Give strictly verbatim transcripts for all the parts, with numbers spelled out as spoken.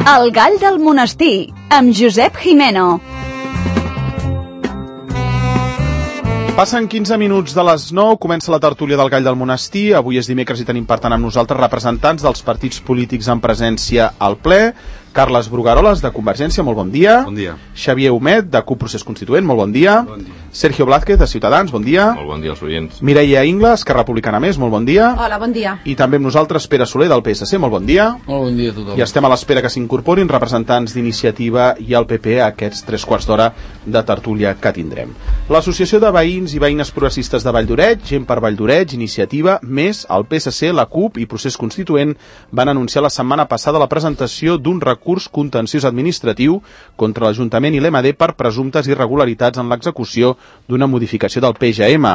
El gall del monestir, amb Josep Jimeno. Passen quinze minuts de les nou, comença la tertúlia del gall del monestir. Avui és dimecres i tenim per tant amb nosaltres representants dels partits polítics en presència al ple. Carles Brugaroles, de Convergència, molt bon dia. Bon dia. Xavier Humet, de CUP Procés Constituent, molt bon dia. Bon dia. Sergio Blázquez, de Ciutadans, bon dia. Molt bon dia als oients. Mireia Ingles, Esquerra Republicana Més, molt bon dia. Hola, bon dia. I també amb nosaltres Pere Soler, del P S C, molt bon dia. Molt bon dia a tothom. I estem a l'espera que s'incorporin representants d'Iniciativa i el P P a aquests tres quarts d'hora de tertúlia que tindrem. L'Associació de Veïns i Veïnes Progressistes de Valldoreig, Gent per Valldoreig, Iniciativa, Més, el P S C, la CUP i Procés Constituent van anunciar la setmana passada la presentació d'un recurs contenciós administratiu contra l'Ajuntament i l'E M D per presumptes irregularitats en l'execució d'una modificació del P G M.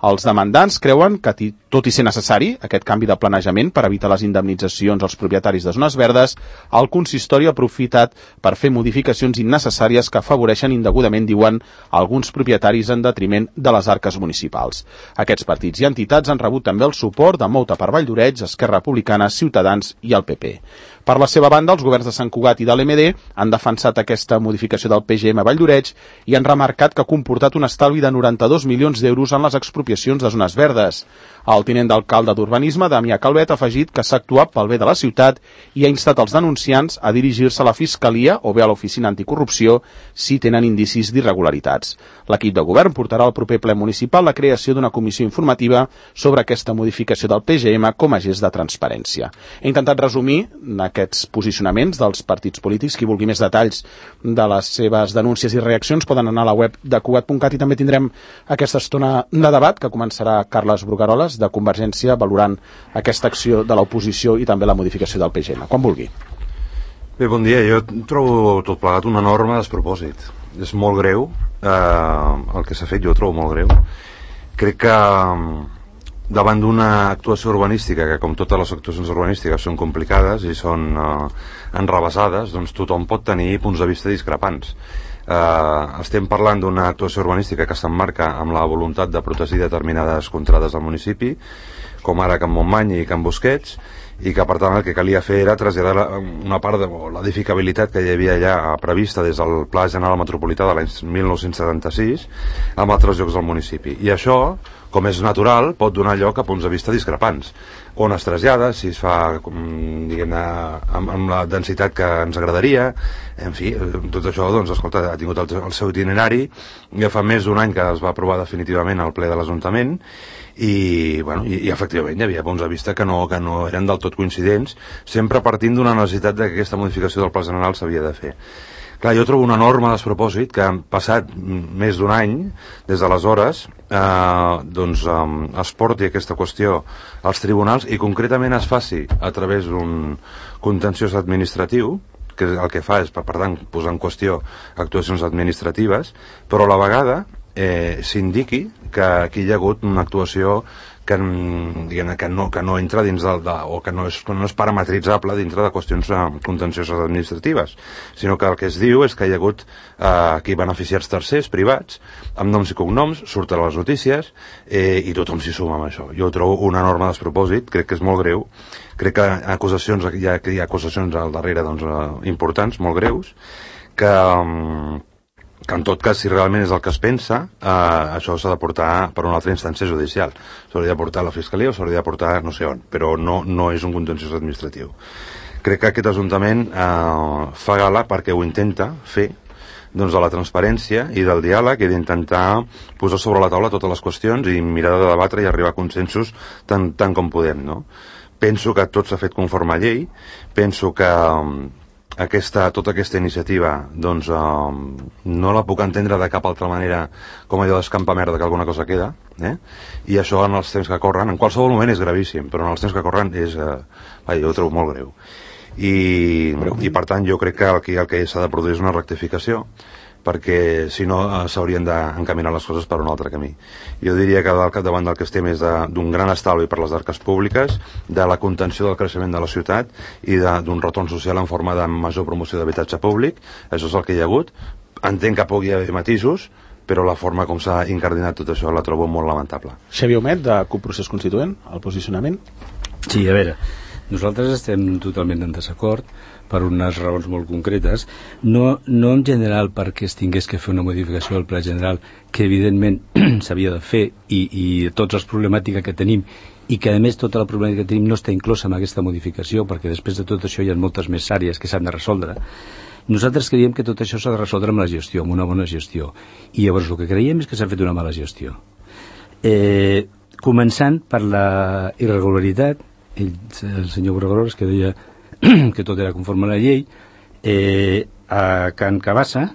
Els demandants creuen que, tot i ser necessari aquest canvi de planejament per evitar les indemnitzacions als propietaris de zones verdes, el consistori ha aprofitat per fer modificacions innecessàries que afavoreixen indegudament, diuen, alguns propietaris en detriment de les arques municipals. Aquests partits i entitats han rebut també el suport de Mouta per Valldoreig, Esquerra Republicana, Ciutadans i el P P. Per la seva banda, els governs de Sant Cugat i de l'E M D han defensat aquesta modificació del P G M a Valldoreig i han remarcat que ha comportat un estalvi de noranta-dos milions d'euros en les expropiacions de zones verdes. El tinent d'alcalde d'Urbanisme, Damià Calvet, ha afegit que s'ha actuat pel bé de la ciutat i ha instat els denunciants a dirigir-se a la Fiscalia o bé a l'Oficina Anticorrupció si tenen indicis d'irregularitats. L'equip de govern portarà al proper ple municipal la creació d'una comissió informativa sobre aquesta modificació del P G M com a gest de transparència. He intentat resumir aquests posicionaments dels partits polítics. Qui vulgui més detalls de les seves denúncies i reaccions poden anar a la web de cugat punt cat i també tindrem aquesta estona de debat que començarà Carles Brugaroles, de Convergència, valorant aquesta acció de l'oposició i també la modificació del P G M. Quan vulgui. Bé, bon dia. Jo trobo tot plegat un enorme despropòsit. És molt greu eh, el que s'ha fet, jo ho trobo molt greu. Crec que davant d'una actuació urbanística, que com totes les actuacions urbanístiques són complicades i són eh, enrevessades, doncs tothom pot tenir punts de vista discrepants. Uh, estem parlant d'una actuació urbanística que s'emmarca amb la voluntat de protegir determinades contrades del municipi, com ara Can Montmany i Can Busquets, i que per tant el que calia fer era traslladar una part de l'edificabilitat que hi havia allà prevista des del Pla General Metropolità de l'any mil nou-cents setanta-sis amb altres llocs del municipi. I això, com és natural, pot donar lloc a punts de vista discrepants. On es trasllada, si es fa diguem-ne, amb, amb la densitat que ens agradaria, en fi, tot això doncs, escolta, ha tingut el, el seu itinerari. Ja fa més d'un any que es va aprovar definitivament al ple de l'Ajuntament i, bueno, i, i efectivament hi havia punts de vista que no, que no eren del tot coincidents, sempre partint d'una necessitat de que aquesta modificació del Pla General s'havia de fer. Clar, jo trobo un enorme despropòsit que han passat més d'un any des d'aleshores, eh, doncs eh, es porti aquesta qüestió als tribunals i concretament es faci a través d'un contenciós administratiu, que el que fa és, per tant, posar en qüestió actuacions administratives, però a la vegada eh, s'indiqui que aquí hi ha hagut una actuació que, diguem, que, no, que no entra dins del, de, o que no és, no és parametritzable dintre de qüestions eh, contencioses administratives, sinó que el que es diu és que hi ha hagut eh, aquí beneficiats tercers privats amb noms i cognoms, surten a les notícies eh, i tothom s'hi suma amb això. Jo trobo un enorme despropòsit, crec que és molt greu, crec que acusacions, hi ha, hi ha acusacions al darrere doncs, eh, importants, molt greus, que que en tot cas, si realment és el que es pensa, eh, això s'ha de portar per una altra instància judicial. S'hauria de portar a la Fiscalia o s'hauria de portar no sé on, però no, no és un contenciós administratiu. Crec que aquest Ajuntament eh, fa gala perquè ho intenta fer doncs, de la transparència i del diàleg i d'intentar posar sobre la taula totes les qüestions i mirar de debatre i arribar a consensos tant, tant com podem, no? Penso que tot s'ha fet conforme a llei, penso que Aquesta, tota aquesta iniciativa doncs eh, no la puc entendre de cap altra manera com allò d'escampa merda que alguna cosa queda, eh? I això en els temps que corren, en qualsevol moment és gravíssim, però en els temps que corren és, eh, vai, jo ho trobo molt greu i, i per tant jo crec que el que, el que s'ha de produir és una rectificació, perquè si no eh, s'haurien d'encaminar les coses per un altre camí. Jo diria que del capdavant del que estem és d'un gran estalvi per les arques públiques, de la contenció del creixement de la ciutat i d'un retorn social en forma de major promoció d'habitatge públic. Això és el que hi ha hagut. Entenc que pugui haver matisos, però la forma com s'ha incardinat tot això la trobo molt lamentable. Xavier Humet, de CUP Procés Constituent, el posicionament? Sí, a veure, Nosaltres estem totalment en desacord per unes raons molt concretes, no, no en general perquè es tingués que fer una modificació del pla general, que evidentment s'havia de fer, i, i tots els problemàtiques que tenim, i que a més tota la problemàtica que tenim no està inclosa en aquesta modificació, perquè després de tot això hi ha moltes més àrees que s'han de resoldre. Nosaltres creiem que tot això s'ha de resoldre amb la gestió, amb una bona gestió, i llavors el que creiem és que s'ha fet una mala gestió. Eh, començant per la irregularitat, ell, el senyor Burgaroles, que deia que tot era conforme a la llei, eh, a Can Cabassa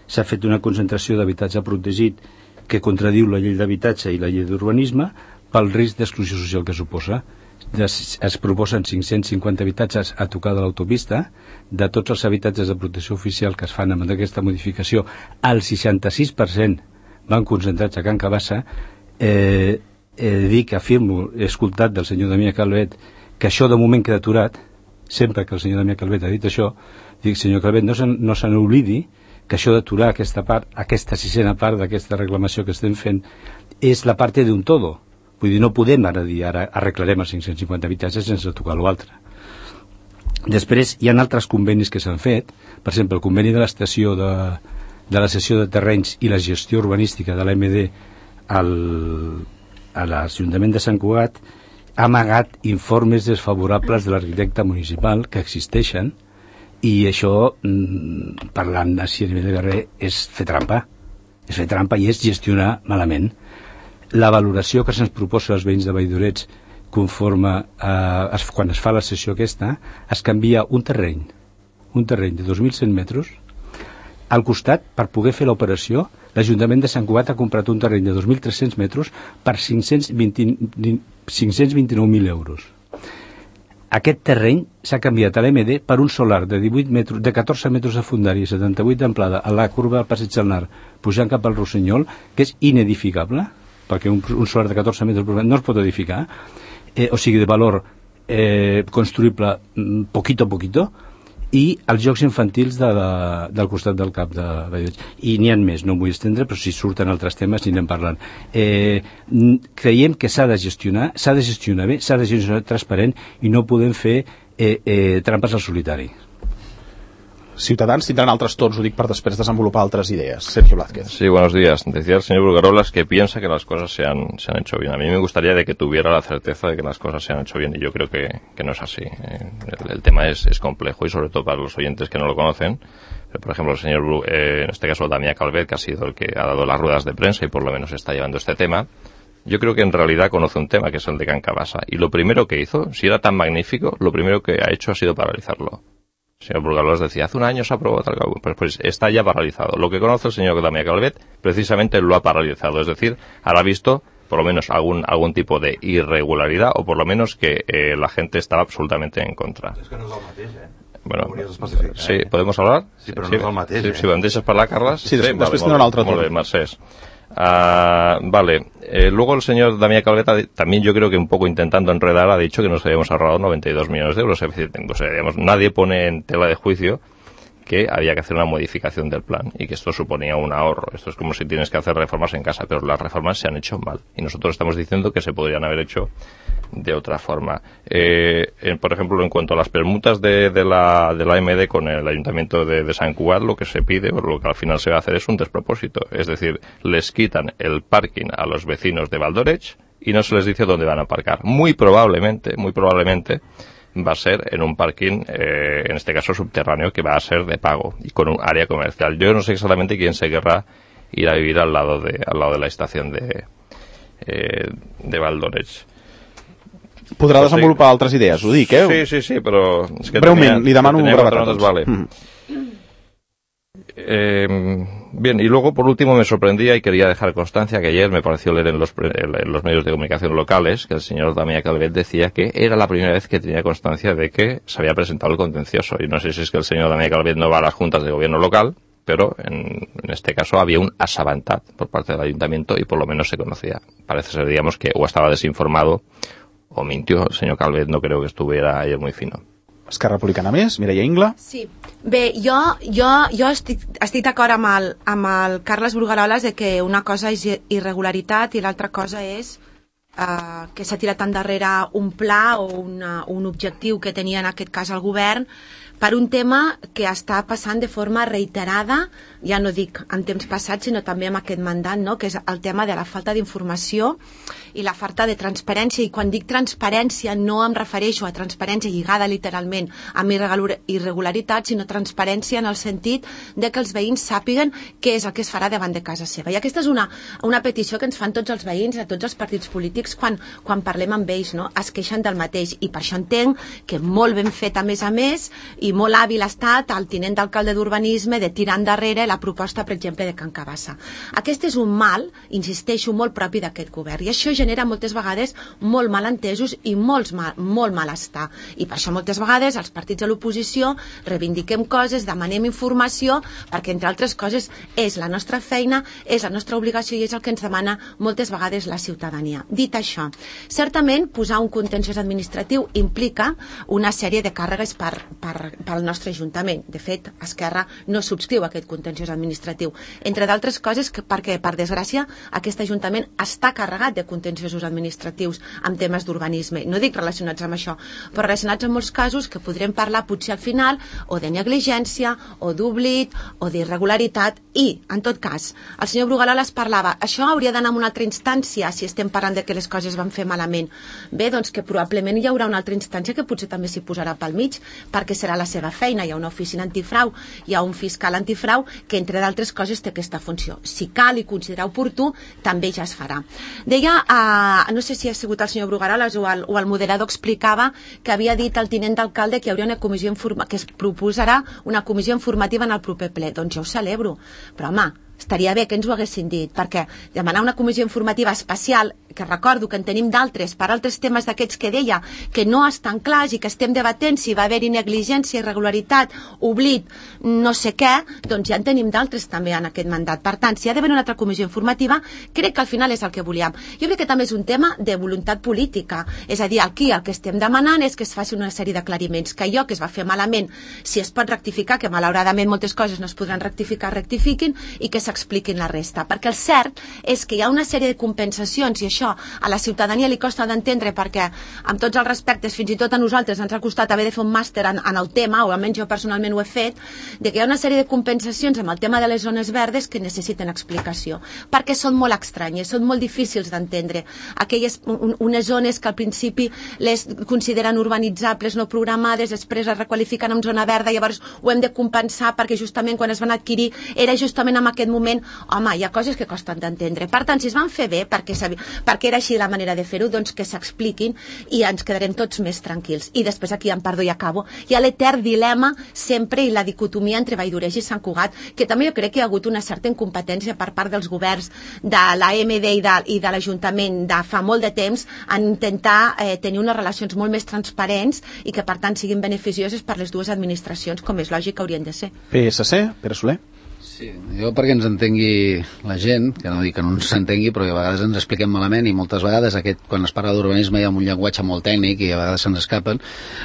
s'ha fet una concentració d'habitatge protegit que contradiu la llei d'habitatge i la llei d'urbanisme pel risc d'exclusió social que suposa. Es, es proposen cinc-cents cinquanta habitatges a tocar de l'autopista. De tots els habitatges de protecció oficial que es fan amb aquesta modificació, el seixanta-sis per cent van concentrats a Can Cabassa. eh, he de dir que afirmo, he escoltat del senyor Damià Calvet que això de moment queda aturat. Sempre que el senyor Damià Calvet ha dit això, dic, senyor Calvet, no se, no se n'oblidi que això d'aturar aquesta part, aquesta sisena part d'aquesta reclamació que estem fent, és la part d'un todo. Vull dir, no podem ara dir, ara arreglarem els cinc-cents cinquanta habitatges sense tocar l'altre. Després hi ha altres convenis que s'han fet, per exemple, el conveni de l'estació de, de la cessió de terrenys i la gestió urbanística de l'A M D al, a l'Ajuntament de Sant Cugat, ha amagat informes desfavorables de l'arquitecte municipal que existeixen, i això, parlant així a nivell de carrer, és fer trampa. És fer trampa i és gestionar malament. La valoració que se'ns proposa als veïns de Valldorets conforme a, a, quan es fa la sessió aquesta, es canvia un terreny, un terreny de dos mil cent metres. Al costat, per poder fer l'operació, l'Ajuntament de Sant Cugat ha comprat un terreny de dos mil tres-cents metres per cinc-cents vint-i-nou mil euros. Aquest terreny s'ha canviat a l'A M D per un solar de, divuit metres, de catorze metres de fundària i setanta-vuit d'amplada a la curva del Passeig del Nar, pujant cap al Rossinyol, que és inedificable, perquè un, un solar de catorze metres no es pot edificar, eh, o sigui, de valor eh, construïble poquito a poquito, i els jocs infantils de la, del costat del cap de Valldorets. I n'hi ha més, no m'ho vull estendre, però si surten altres temes n'hi anem parlant. Eh, creiem que s'ha de gestionar, s'ha de gestionar bé, s'ha de gestionar transparent, i no podem fer eh, eh, trampes al solitari. Ciudadanos tendrán altres torns, ho dic per després desenvolupar altres ideas. Sergio Blázquez. Sí, buenos días. Decía el señor Burgarolas que piensa que las cosas se han, se han hecho bien. A mí me gustaría de que tuviera la certeza de que las cosas se han hecho bien, y yo creo que, que no es así. Eh, el, el tema es, es complejo, y sobre todo para los oyentes que no lo conocen. Pero, por ejemplo, el señor, eh, en este caso, Damià Calvet, que ha sido el que ha dado las ruedas de prensa y por lo menos está llevando este tema, yo creo que en realidad conoce un tema que es el de Can Cabassa. Y lo primero que hizo, si era tan magnífico, lo primero que ha hecho ha sido paralizarlo. El señor Burgarolas decía, hace un año se aprobó tal cosa, pues, pues está ya paralizado. Lo que conoce el señor Damià Calvet, precisamente lo ha paralizado. Es decir, ahora ha visto, por lo menos, algún algún tipo de irregularidad, o por lo menos que eh, la gente estaba absolutamente en contra. Es que no es el mateix, eh? Bueno, sí, eh? ¿Podemos hablar? Sí, però no és el mateix, sí, eh? Si ho em deixes parlar, Carles. Sí, des, sí després tindrà un altre torn. Molt bé, Mercès. Uh, vale, eh, luego el señor Damià Calvet también, yo creo que un poco intentando enredar, ha dicho que nos habíamos ahorrado noventa y dos millones de euros. Es decir, o sea, digamos, nadie pone en tela de juicio que había que hacer una modificación del plan y que esto suponía un ahorro. Esto es como si tienes que hacer reformas en casa, pero las reformas se han hecho mal y nosotros estamos diciendo que se podrían haber hecho de otra forma. Eh, eh, por ejemplo, en cuanto a las permutas de, de la de la A M D con el Ayuntamiento de, de Sant Cugat, lo que se pide, o lo que al final se va a hacer, es un despropósito. Es decir, les quitan el parking a los vecinos de Valldorets y no se les dice dónde van a aparcar. Muy probablemente, muy probablemente va a ser en un parking, eh, en este caso subterráneo, que va a ser de pago y con un área comercial. Yo no sé exactamente quién se querrá ir a vivir al lado de al lado de la estación de eh, de Valldorets. Podrà pues desenvolupar sí. altres idees, ho dic, eh? Sí, sí, sí, però... És que breument, tenia, li demano un brevet a tots. Vale. Mm. Eh, bien, y luego por último me sorprendía y quería dejar constancia que ayer me pareció leer en los, en los medios de comunicación locales que el señor Damià Calvet decía que era la primera vez que tenía constancia de que se había presentado el contencioso. Y no sé si es que el señor Damià Calvet no va a las juntas de gobierno local, pero en, en este caso había un assabentat por parte del ayuntamiento y por lo menos se conocía. Parece ser, digamos, que o estaba desinformado o mintió. El señor Calvet no creo que estuviera ayer muy fino. Esquerra Republicana més, Mireia Ingla. Sí, bé, jo, jo, jo estic, estic d'acord amb el, amb el Carles Burgarolas de que una cosa és irregularitat i l'altra cosa és eh, que s'ha tirat endarrere un pla o una, un objectiu que tenia en aquest cas el govern per un tema que està passant de forma reiterada, ja no dic en temps passats, sinó també en aquest mandat, no? Que és el tema de la falta d'informació i la falta de transparència. I quan dic transparència no em refereixo a transparència lligada literalment amb irregularitats, sinó transparència en el sentit de que els veïns sàpiguen què és el que es farà davant de casa seva. I aquesta és una, una petició que ens fan tots els veïns, a tots els partits polítics, quan, quan parlem amb ells, no? Es queixen del mateix. I per això entenc que molt ben fet, a més a més, i molt hàbil ha estat el tinent d'alcalde d'Urbanisme de tirar endarrere la proposta, per exemple, de Can Cabassa. Aquest és un mal, insisteixo, molt propi d'aquest govern, i això genera moltes vegades molt malentesos i molts mal, molt malestar. I per això moltes vegades els partits de l'oposició reivindiquem coses, demanem informació, perquè entre altres coses és la nostra feina, és la nostra obligació i és el que ens demana moltes vegades la ciutadania. Dit això, certament posar un contenciós administratiu implica una sèrie de càrregues per, per pel nostre Ajuntament. De fet, Esquerra no subscriu aquest contenciós administratiu. Entre d'altres coses que, perquè, per desgràcia, aquest Ajuntament està carregat de contenciosos administratius amb temes d'urbanisme. No dic relacionats amb això, però relacionats amb molts casos que podrem parlar potser al final o de negligència, o d'oblit, o d'irregularitat. I, en tot cas, el senyor Bruguera les parlava, això hauria d'anar a una altra instància si estem parlant de que les coses van fer malament. Bé, doncs que probablement hi haurà una altra instància que potser també s'hi posarà pel mig, perquè serà la seva feina. Hi ha una oficina antifrau, hi ha un fiscal antifrau que, entre d'altres coses, té aquesta funció. Si cal i considerar oportú, també ja es farà. Deia, eh, no sé si ha sigut el senyor Brugueroles o el, o el moderador explicava que havia dit el tinent d'alcalde que hi hauria una comissió informa que es proposarà una comissió informativa en el proper ple. Doncs jo ho celebro, però home, estaria bé que ens ho haguessin dit, perquè demanar una comissió informativa especial, que recordo que en tenim d'altres, per altres temes d'aquests que deia, que no estan clars i que estem debatent si va haver-hi negligència, irregularitat, oblit, no sé què, doncs ja en tenim d'altres també en aquest mandat. Per tant, si hi ha d'haver una altra comissió informativa, crec que al final és el que volíem. Jo crec que també és un tema de voluntat política, és a dir, aquí el que estem demanant és que es faci una sèrie d'aclariments, que allò que es va fer malament, si es pot rectificar, que malauradament moltes coses no es podran rectificar, rectifiquin, i que s'expliquin la resta, perquè el cert és que hi ha una sèrie de compensacions i això a la ciutadania li costa d'entendre perquè, amb tots els respectes, fins i tot a nosaltres ens ha costat haver de fer un màster en, en el tema, o almenys jo personalment ho he fet, de que hi ha una sèrie de compensacions amb el tema de les zones verdes que necessiten explicació, perquè són molt estranyes, són molt difícils d'entendre. Aquelles un, unes zones que al principi les consideren urbanitzables, no programades, després es requalifiquen en zona verda, llavors ho hem de compensar perquè justament quan es van adquirir era justament en aquest moment. Home, hi ha coses que costen d'entendre. Per tant, si es van fer bé, perquè, perquè era així la manera de fer-ho, doncs que s'expliquin i ens quedarem tots més tranquils. I després aquí, em perdó i acabo, hi ha l'etern dilema sempre i la dicotomia entre Valldoreig i Sant Cugat, que també jo crec que hi ha hagut una certa incompetència per part dels governs de l'A M D i de, i de l'Ajuntament de fa molt de temps en intentar eh, tenir unes relacions molt més transparents i que per tant siguin beneficioses per les dues administracions, com és lògic que haurien de ser. P S C, Pere Soler. Sí, jo perquè ens entengui la gent, que no dic que no ens entengui, però a vegades ens expliquem malament i moltes vegades aquest, quan es parla d'urbanisme hi ha un llenguatge molt tècnic i a vegades se'ns escapen,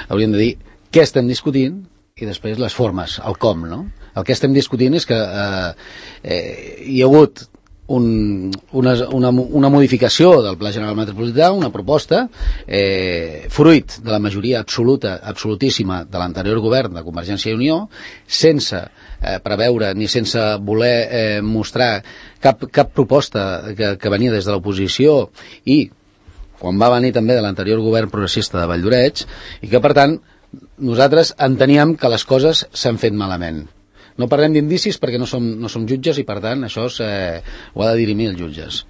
hauríem de dir què estem discutint i després les formes, el com, no? El que estem discutint és que eh, eh, hi ha hagut un, una, una, una modificació del Pla General Metropolità, una proposta eh, fruit de la majoria absoluta, absolutíssima de l'anterior govern de Convergència i Unió, sense eh, preveure ni sense voler eh, mostrar cap, cap proposta que, que venia des de l'oposició i quan va venir també de l'anterior govern progressista de Valldoreig i que per tant nosaltres enteníem que les coses s'han fet malament. No parlem d'indicis perquè no som, no som jutges i per tant això és, eh, ho ha de dirimir els jutges.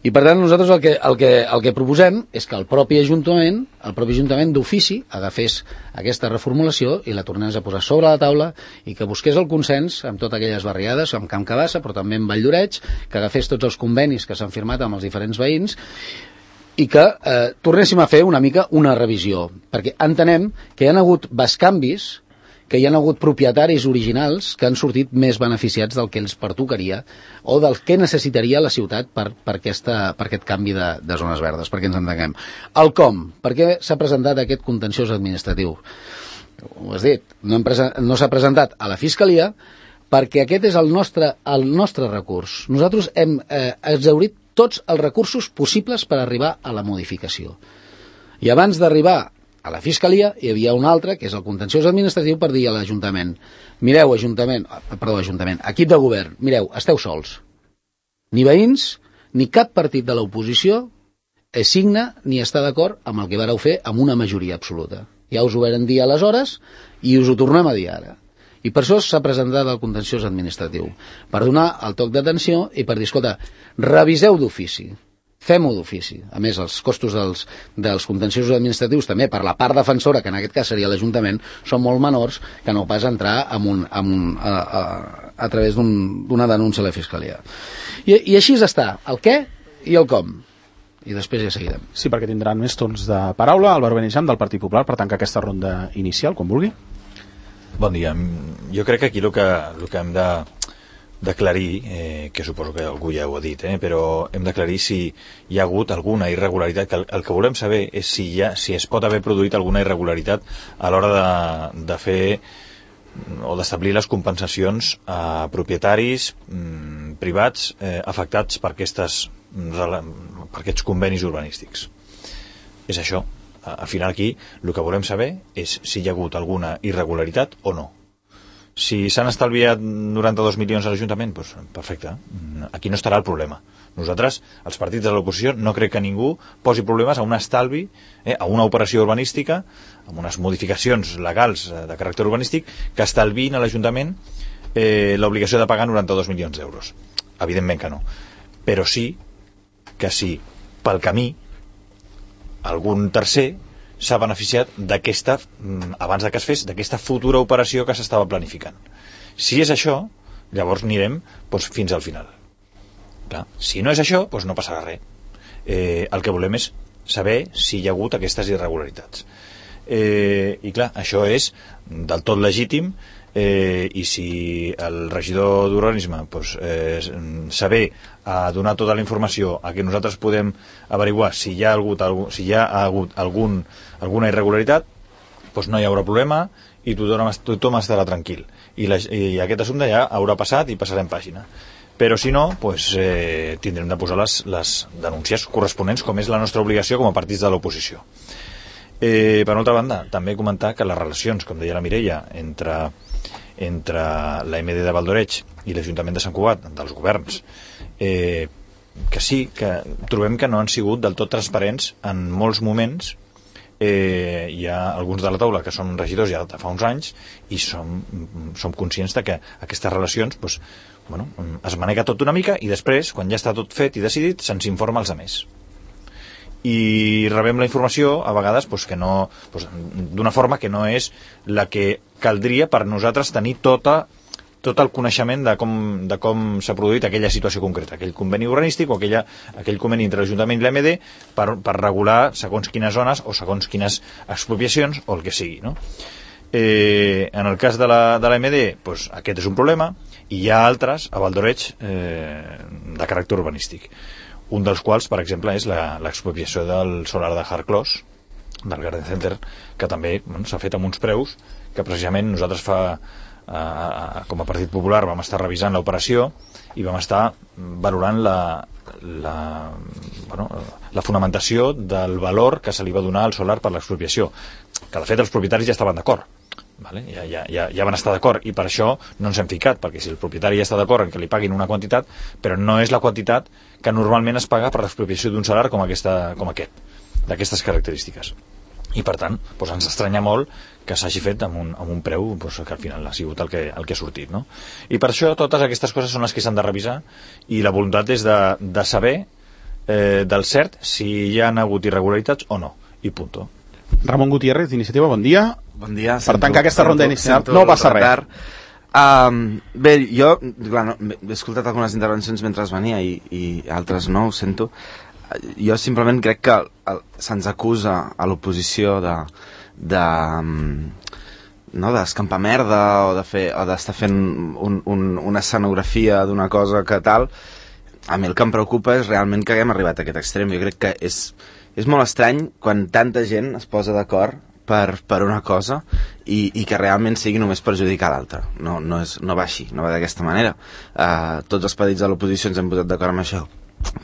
I per tant nosaltres el que, el, que, el que proposem és que el propi Ajuntament, el propi Ajuntament d'ofici agafés aquesta reformulació i la tornés a posar sobre la taula i que busqués el consens amb totes aquelles barriades, amb Camp Cabassa, però també amb Valldoreig, que agafés tots els convenis que s'han firmat amb els diferents veïns i que eh, tornéssim a fer una mica una revisió, perquè entenem que hi ha hagut bescanvis, que hi ha hagut propietaris originals que han sortit més beneficiats del que els pertocaria o del que necessitaria la ciutat per, per, aquesta, per aquest canvi de, de zones verdes, perquè ens entenguem. El com, per què s'ha presentat aquest contenciós administratiu? Ho has dit, no, no s'ha presentat a la Fiscalia perquè aquest és el nostre, el nostre recurs. Nosaltres hem eh, exhaurit tots els recursos possibles per arribar a la modificació. I abans d'arribar a la Fiscalia hi havia un altre, que és el contenciós administratiu, per dir a l'Ajuntament: mireu, Ajuntament, perdó, Ajuntament, equip de govern, mireu, esteu sols. Ni veïns, ni cap partit de l'oposició signa ni està d'acord amb el que vareu fer amb una majoria absoluta. Ja us ho vam dir aleshores i us ho tornem a dir ara. I per això s'ha presentat el contenciós administratiu, per donar el toc d'atenció i per dir, escolta, reviseu d'ofici, fem-ho d'ofici. A més, els costos dels, dels contenciosos administratius també per la part defensora, que en aquest cas seria l'Ajuntament, són molt menors que no pas entrar amb un, amb un, a, a, a través d'un, d'una denúncia a la Fiscalia. I, I així està, el què i el com. I després ja seguirem. Sí, perquè tindran més torns de paraula. Álvaro Benejam, del Partit Popular, per tancar aquesta ronda inicial, quan vulgui. Bon dia. Jo crec que aquí el que, el que hem de d'aclarir, eh, que suposo que algú ja ho ha dit, eh, però hem d'aclarir si hi ha hagut alguna irregularitat, que el, el que volem saber és si, ha, si es pot haver produït alguna irregularitat a l'hora de, de fer o d'establir les compensacions a propietaris mm, privats eh, afectats per, aquestes, per aquests convenis urbanístics. És això. Al final aquí el que volem saber és si hi ha hagut alguna irregularitat o no. Si s'han estalviat noranta-dos milions a l'Ajuntament, doncs perfecte, aquí no estarà el problema. Nosaltres, els partits de l'oposició, no crec que ningú posi problemes a un estalvi, eh, a una operació urbanística, amb unes modificacions legals de caràcter urbanístic, que estalviïn a l'Ajuntament eh, l'obligació de pagar noranta-dos milions d'euros. Evidentment que no. Però sí que si pel camí algun tercer s'ha beneficiat d'aquesta, abans que es fes, d'aquesta futura operació que s'estava planificant. Si és això, llavors anirem doncs, fins al final. Clar, si no és això, doncs no passarà res. Eh, el que volem és saber si hi ha hagut aquestes irregularitats. Eh, I clar, això és del tot legítim, eh, i si el regidor d'urbanisme doncs, eh, saber a donar tota la informació a que nosaltres podem averiguar si hi ha hagut, si hi ha hagut algun, alguna irregularitat, doncs no hi haurà problema i tothom, tothom estarà tranquil. I, la, I aquest assumpte ja haurà passat i passarem pàgina. Però si no, doncs, eh, tindrem de posar les, les denúncies corresponents, com és la nostra obligació com a partits de l'oposició. Eh, per una altra banda, també comentar que les relacions, com deia la Mireia, entre, entre la M D de Valdoreig i l'Ajuntament de Sant Cugat, dels governs, eh, que sí, que trobem que no han sigut del tot transparents en molts moments. Eh, hi ha alguns de la taula que són regidors ja de fa uns anys i som, som conscients de que aquestes relacions doncs, bueno, es manega tot una mica i després, quan ja està tot fet i decidit, se'ns informa als altres. I rebem la informació a vegades doncs, que no, doncs, d'una forma que no és la que caldria per nosaltres tenir tota, tot el coneixement de com, de com s'ha produït aquella situació concreta, aquell conveni urbanístic o aquella, aquell conveni entre l'Ajuntament i l'A M D per, per regular segons quines zones o segons quines expropiacions o el que sigui, no? Eh, en el cas de la, de l'A M D doncs, aquest és un problema i hi ha altres a Valdoreig eh, de caràcter urbanístic. Un dels quals, per exemple, és l'expropiació del solar de Harclós, del Garden Center, que també bueno, s'ha fet amb uns preus que precisament nosaltres fa, eh, com a Partit Popular vam estar revisant l'operació i vam estar valorant la, la, bueno, la fonamentació del valor que se li va donar al solar per l'expropiació, que de fet els propietaris ja estaven d'acord. Vale? Ja, ja, ja, ja van estar d'acord i per això no ens hem ficat, perquè si el propietari ja està d'acord en que li paguin una quantitat, però no és la quantitat que normalment es paga per l'expropiació d'un solar com, aquesta, com aquest, d'aquestes característiques. I per tant, doncs ens estranya molt que s'hagi fet amb un, amb un preu doncs, que al final ha sigut el que, el que ha sortit, no? I per això totes aquestes coses són les que s'han de revisar i la voluntat és de, de saber eh, del cert si hi ha hagut irregularitats o no, i punto. Ramon Gutiérrez, d'Iniciativa, bon dia. Bon dia. Per tancar aquesta ronda inicial, no passa res. Um, bé, jo clar, no, he escoltat algunes intervencions mentre venia i, i altres no, ho sento. Jo simplement crec que se'ns acusa a l'oposició de, de no, d'escampar merda o de fer, o d'estar fent un, un, una escenografia d'una cosa que tal. A mi el que em preocupa és realment que haguem arribat a aquest extrem. Jo crec que és És molt estrany quan tanta gent es posa d'acord per, per una cosa i, i que realment sigui només perjudicar l'altra. No, no, és, no va així, no va d'aquesta manera. Uh, tots els partits de l'oposició ens hem posat d'acord amb això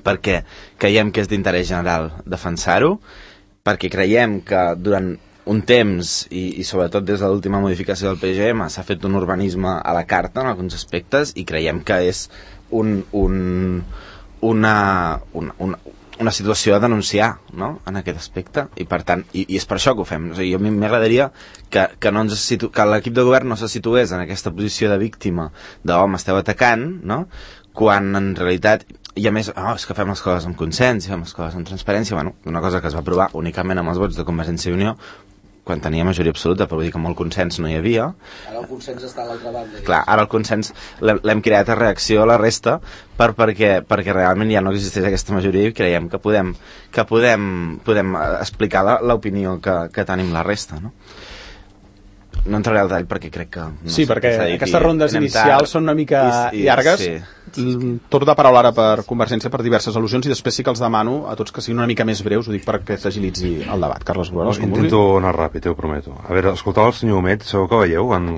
perquè creiem que és d'interès general defensar-ho, perquè creiem que durant un temps, i, i sobretot des de l'última modificació del P G M, s'ha fet un urbanisme a la carta en alguns aspectes, i creiem que és un, un, una, una, una, una situació a denunciar, no?, en aquest aspecte, i per tant, i, i és per això que ho fem. O sigui, jo m'agradaria que, que, no ens situ, que l'equip de govern no se situés en aquesta posició de víctima de, oh, m'esteu atacant, no?, quan en realitat, i a més, oh, és que fem les coses amb consens, fem les coses amb transparència, bueno, una cosa que es va aprovar únicament amb els vots de Convergència i Unió, quan tenia majoria absoluta, però vull dir que molt consens no hi havia. Ara el consens està a l'altra banda. Clar, ara el consens l'hem creat a reacció a la resta per, perquè, perquè realment ja no existeix aquesta majoria i creiem que podem, que podem, podem explicar l'opinió que, que tenim la resta, no? No entraré al detall perquè crec que... No sí, sé, perquè aquestes rondes inicials són una mica i, i, llargues. Sí. Torno de paraula ara per Convergència per diverses al·lusions i després sí que els demano a tots que siguin una mica més breus, ho dic perquè s'agilitzi el debat. Carles Bruelas, com vulgui. Intento anar ràpid, ho prometo. A veure, escoltava el senyor Homet, sabeu que veieu quan,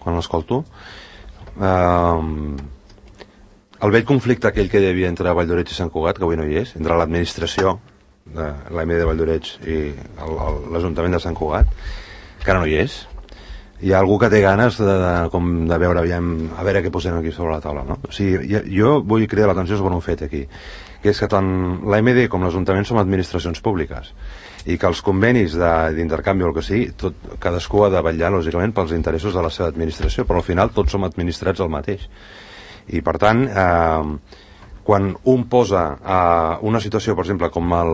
quan l'escolto? Uh, el vell conflicte aquell que hi havia entre Valldoreix i Sant Cugat, que avui no hi és, entre l'administració de l'A M D de Valldoreix i l'Ajuntament de Sant Cugat, que ara no hi és. Hi ha algú que té ganes de, de, com de veure aviam, a veure què posem aquí sobre la taula, no? O sigui, jo vull cridar l'atenció sobre un fet aquí, que és que tant l'A M D com l'Ajuntament som administracions públiques i que els convenis d'intercanvi o el que sigui, tot, cadascú ha de vetllar lògicament pels interessos de la seva administració, però al final tots som administrats al mateix. I per tant, eh, quan un posa a una situació, per exemple, com el,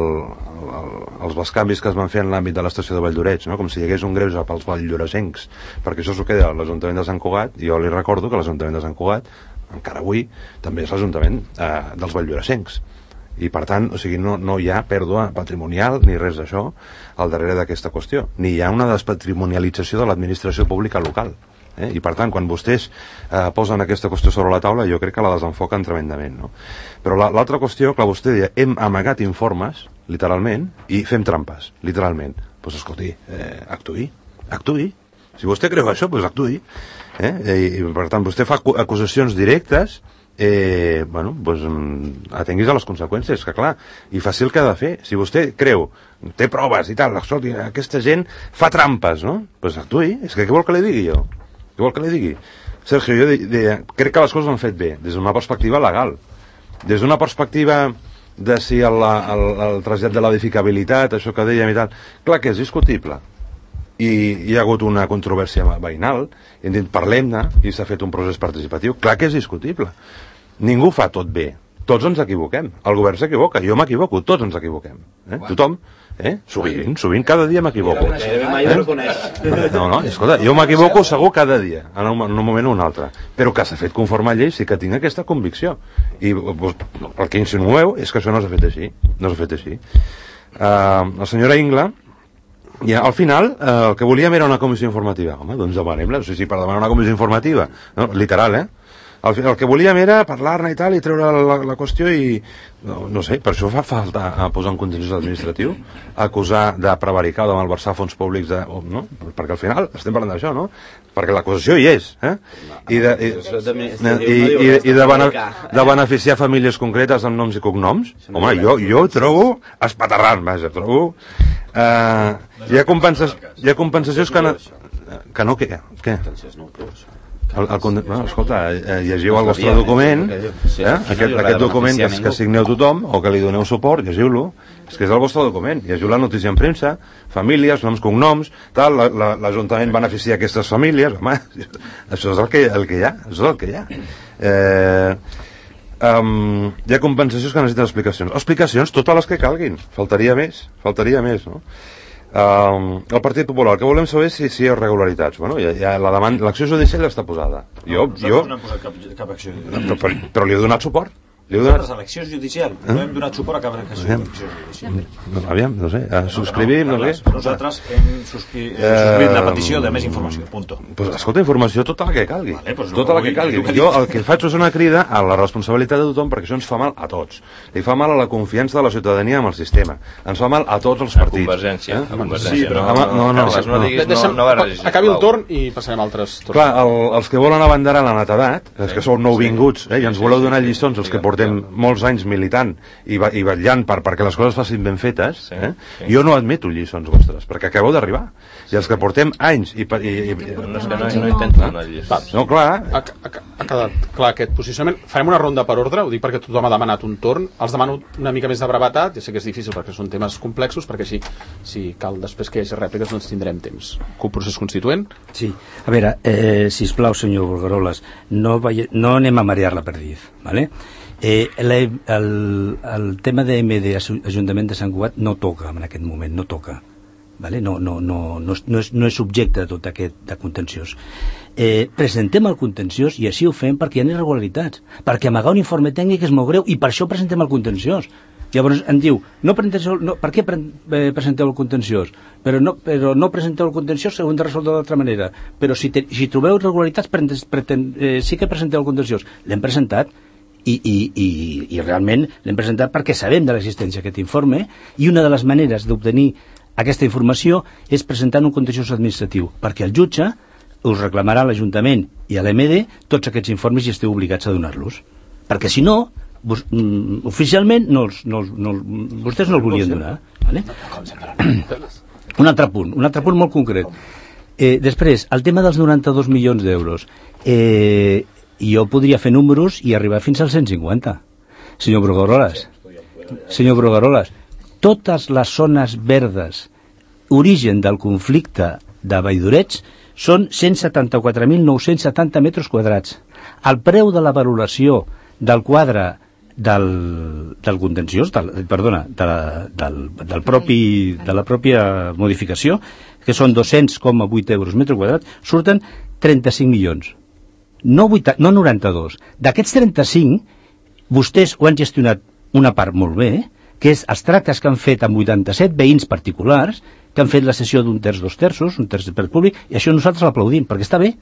el, els bescanvis que es van fer en l'àmbit de l'estació de Valldoreix, no? Com si hi hagués un greuge pels valldoreixencs, perquè això s'ho queda a l'Ajuntament de Sant Cugat, i jo li recordo que l'Ajuntament de Sant Cugat, encara avui, també és l'Ajuntament eh, dels valldoreixencs. I per tant, o sigui, no, no hi ha pèrdua patrimonial ni res d'això al darrere d'aquesta qüestió, ni hi ha una despatrimonialització de l'administració pública local. Eh? I per tant, quan vostès eh, posen aquesta qüestió sobre la taula, jo crec que la desenfoquen tremendament, no? Però l'altra qüestió, clar, vostè deia, hem amagat informes, literalment, i fem trampes, literalment. Doncs pues, escolti, eh, actuï, actuï. Si vostè creu això, doncs pues actuï. Eh? I, I per tant, vostè fa acusacions directes, eh, bueno, doncs atenguis a les conseqüències, que clar, i faci el que ha de fer. Si vostè creu, té proves i tal, escolti, aquesta gent fa trampes, no? Doncs pues actuï. És que què vol que li digui jo? Què vol que li digui? Sergio, jo de, de, crec que les coses han fet bé, des d'una perspectiva legal. Des d'una perspectiva de si el, el, el trasllat de l'edificabilitat, això que dèiem i tal, clar que és discutible. I hi ha hagut una controvèrsia veïnal, i hem dit, parlem-ne, i s'ha fet un procés participatiu, clar que és discutible. Ningú fa tot bé. Tots ens equivoquem. El govern s'equivoca, jo m'equivoco, tots ens equivoquem. Eh? Tothom, eh? Sovint, sovint, cada dia m'equivoco. Eh? No, no, escolta, jo m'equivoco segur cada dia, en un, en un moment o un altre. Però que s'ha fet conforme a llei sí que tinc aquesta convicció. I pues, el que insinueu és que això no s'ha fet així. No s'ha fet així. Uh, la senyora Ingla, ja, al final, uh, el que volíem era una comissió informativa. Home, doncs demanem-la. O sigui, sí, per demanar una comissió informativa. No? Literal, eh? El, el que volíem era parlar-ne i tal, i treure la, la qüestió i... No, no sé, per això fa falta a posar un contenciós administratiu, acusar de prevaricar o de malversar fons públics, de, no? Perquè al final estem parlant d'això, no? Perquè l'acusació hi és, eh? I de, i, i, i, i de, bene, de beneficiar famílies concretes amb noms i cognoms. Home, jo, jo ho trobo espaterrant, vaja, trobo... Eh, hi ha compensa, hi ha compensacions que no... Que no, què? Què? El, el, bueno, escolta, eh, llegiu el vostre document, eh? aquest, aquest document que, que signeu tothom o que li doneu suport, llegiu-lo, és que és el vostre document, llegiu la notícia en premsa, famílies, noms, cognoms, tal, l'Ajuntament beneficia aquestes famílies, home, això és el que, el que hi ha, això és el que hi ha. Eh, um, hi ha compensacions que necessiten explicacions. Explicacions, totes les que calguin, faltaria més, faltaria més, no? Uh, el Partit Popular, el que volem saber si, si hi ha irregularitats. Bueno, ja, ja la demanda, l'acció judicial està posada. Jo, no, jo, no hem posat cap, cap acció judicial. Però, però, però li he donat suport. Li he donat... Nosaltres a l'acció judicial eh? No hem donat suport a cap acció judicial. No, aviam, no sé, uh, subscrivim, no, no, no sé. Nosaltres hem subscrit, hem subscrit uh, la petició de més informació, punto. Pues, escolta, informació tota la que calgui. Vale, pues tota la que calgui. Jo el que faig és una crida a la responsabilitat de tothom, perquè això ens fa mal a tots. Li fa mal a la confiança de la ciutadania amb el sistema. Ens fa mal a tots els partits. A Convergència. Eh? A Convergència. Sí, però, no, no, no, Carles, no, no, diguis, no, no barregis. Acabi el torn i passarem a altres torns. Clar, el, els que volen abanderar la netedat, els que sou nouvinguts, eh, i ens voleu donar lliçons, els que porteu portem molts anys militant i, i vetllant per, perquè les coses facin ben fetes, sí, eh? sí. Jo no admeto lliçons vostres, perquè acabeu d'arribar. I els que portem anys... I, i, i, no és que no, no intento donar lliçons. No, clar. Ha, ha, ha quedat clar aquest posicionament. Farem una ronda per ordre, ho dic perquè tothom ha demanat un torn. Els demano una mica més de brevetat, ja sé que és difícil perquè són temes complexos, perquè així, si cal després que hi hagi rèpliques, doncs tindrem temps. El procés constituent? Sí. A veure, eh, sisplau, senyor Burgaroles, no, vaya, no anem a marear la perdiz, ¿vale? Eh, la, el, el tema de M D Ajuntament de Sant Cugat no toca en aquest moment, no toca. Vale? No, no, no, no, no, és, no és subjecte de tot aquest de contenciós. Eh, presentem el contenciós i així ho fem perquè hi ha irregularitats, perquè amagar un informe tècnic és molt greu i per això presentem el contenciós. Llavors em diu, no presenteu, no, per què pre, eh, presenteu el contenciós? Però no, però no presenteu el contenciós, ho hem de resoldre d'altra manera. Però si, te, si trobeu irregularitats, pretén, pretén, eh, sí que presenteu el contenciós. L'hem presentat i, i, i, i realment l'hem presentat perquè sabem de l'existència d'aquest informe i una de les maneres d'obtenir aquesta informació és presentant un contenciós administratiu, perquè el jutge us reclamarà a l'Ajuntament i a l'E M D tots aquests informes i esteu obligats a donar-los. Perquè si no, vos, mm, oficialment no els, no els, no els, vostès no els volien donar. Vale? Un altre punt, un altre punt molt concret. Eh, després, el tema dels noranta-dos milions d'euros. Eh, jo podria fer números i arribar fins als cent cinquanta. Senyor Brugaroles, senyor Brugaroles, totes les zones verdes origen del conflicte de Valldoreig són cent setanta-quatre mil nou-cents setanta metres quadrats. El preu de la valoració del quadre del, del contenciós, del, perdona, de la, del, del propi, de la pròpia modificació, que són dos-cents coma vuit euros metre quadrat, surten trenta-cinc milions. No, vuitanta, no noranta-dos. D'aquests trenta-cinc, vostès ho han gestionat una part molt bé, que és els tractes que han fet amb vuitanta-set veïns particulars, que han fet la sessió d'un terç, dos terços, un terç per públic, i això nosaltres l'aplaudim, perquè està bé.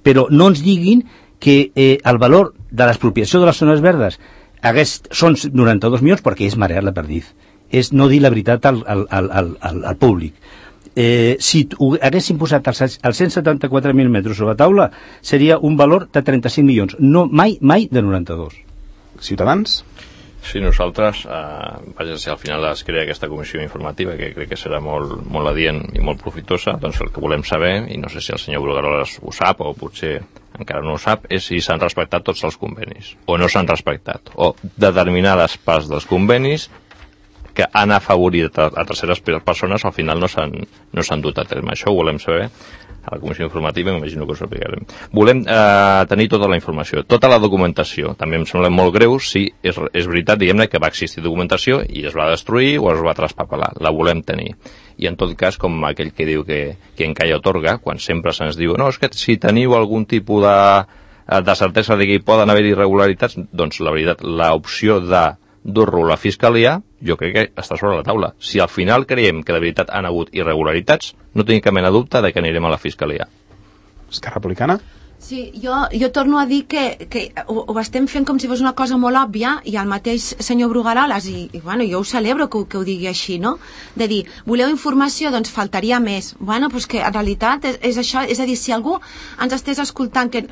Però no ens diguin que eh, el valor de l'expropiació de les zones verdes hagués, són noranta-dos milions, perquè és marear la perdiz. És no dir la veritat al, al, al, al, al públic. Eh, si haguéssim posat els, els cent setanta-quatre mil metres sobre la taula, seria un valor de trenta-cinc milions, no mai, mai de noranta-dos. Ciutadans? Sí, nosaltres, eh, vaja, si al final es crea aquesta comissió informativa, que crec que serà molt, molt adient i molt profitosa, doncs el que volem saber, i no sé si el senyor Brugaroles ho sap o potser encara no ho sap, és si s'han respectat tots els convenis, o no s'han respectat, o determinades parts dels convenis que han afavorit a, a terceres persones al final no s'han no s'han dut a terme. Això ho volem saber a la comissió informativa, m'imagino que us ho explicarem. Volem eh, tenir tota la informació, tota la documentació. També em sembla molt greu si és, és veritat, diguem-ne, que va existir documentació i es va destruir o es va traspapelar. La volem tenir. I en tot cas, com aquell que diu que, que en calla otorga, quan sempre se'ns diu no, és que si teniu algun tipus de, de certesa de que hi poden haver irregularitats, doncs la veritat, l'opció de dur-lo a la Fiscalia, jo crec que està sobre la taula. Si al final creiem que de veritat han hagut irregularitats, no tinc cap mena de dubte de que anirem a la Fiscalia. Esquerra Republicana? Sí, jo, jo torno a dir que, que ho, ho estem fent com si fos una cosa molt òbvia i el mateix senyor Brugaroles, i, i bueno, jo ho celebro que, que ho digui així, no? De dir, voleu informació? Doncs faltaria més. Bueno, doncs que en realitat és, és això, és a dir, si algú ens estés escoltant, que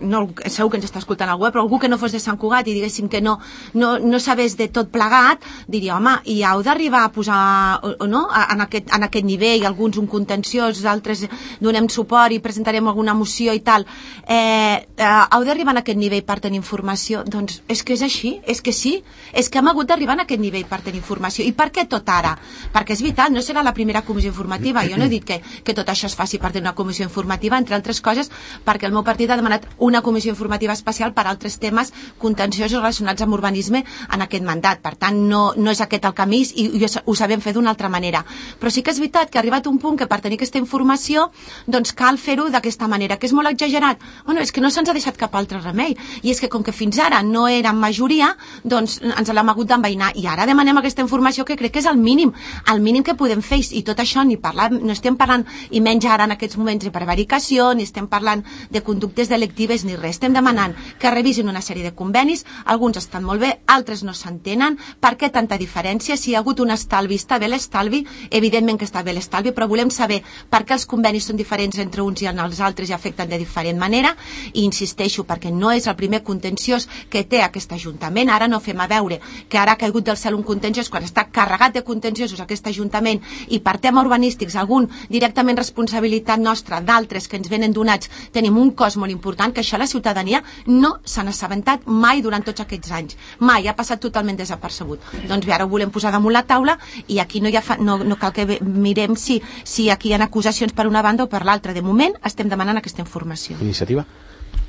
no, segur que ens està escoltant al web, però algú que no fos de Sant Cugat i diguéssim que no, no, no sabés de tot plegat, diria, home, i heu d'arribar a posar, o, o no?, en aquest, en aquest nivell, alguns un contenciós, altres donem suport i presentarem alguna moció i tal. Eh, eh, heu d'arribar a aquest nivell per tenir informació? Doncs és que és així, és que sí, és que hem hagut d'arribar a aquest nivell per tenir informació. I per què tot ara? Perquè és vital, no serà la primera comissió informativa, jo no he dit que, que tot això es faci per tenir una comissió informativa, entre altres coses perquè el meu partit ha demanat una comissió informativa especial per altres temes contenciosos relacionats amb urbanisme en aquest mandat, per tant no, no és aquest el camí i, i ho sabem fer d'una altra manera, però sí que és veritat que ha arribat un punt que per tenir aquesta informació doncs cal fer-ho d'aquesta manera, que és molt exagerat. Bueno, és que no se'ns ha deixat cap altre remei, i és que com que fins ara no érem majoria, doncs ens l'hem hagut d'enveinar, i ara demanem aquesta informació que crec que és el mínim, el mínim que podem fer, i tot això ni parlar, no estem parlant, i menys ara en aquests moments de prevaricació, ni estem parlant de conductes delictives, ni res, estem demanant que revisin una sèrie de convenis, alguns estan molt bé, altres no s'entenen, per què tanta diferència? Si hi ha hagut un estalvi, està bé l'estalvi, evidentment que està bé l'estalvi, però volem saber per què els convenis són diferents entre uns i els altres i afecten de diferent diferent manera, i insisteixo, perquè no és el primer contenciós que té aquest Ajuntament. Ara no fem a veure que ara ha caigut del cel un contenciós quan està carregat de contenciosos aquest Ajuntament, i per tema urbanístics, algun directament responsabilitat nostra, d'altres que ens venen donats, tenim un cost molt important, que això la ciutadania no se n'ha assabentat mai durant tots aquests anys. Mai, ha passat totalment desapercebut. Doncs bé, ara ho volem posar damunt la taula, i aquí no, hi ha fa, no, no cal que mirem si, si aquí hi ha acusacions per una banda o per l'altra. De moment estem demanant aquesta informació. Iniciativa?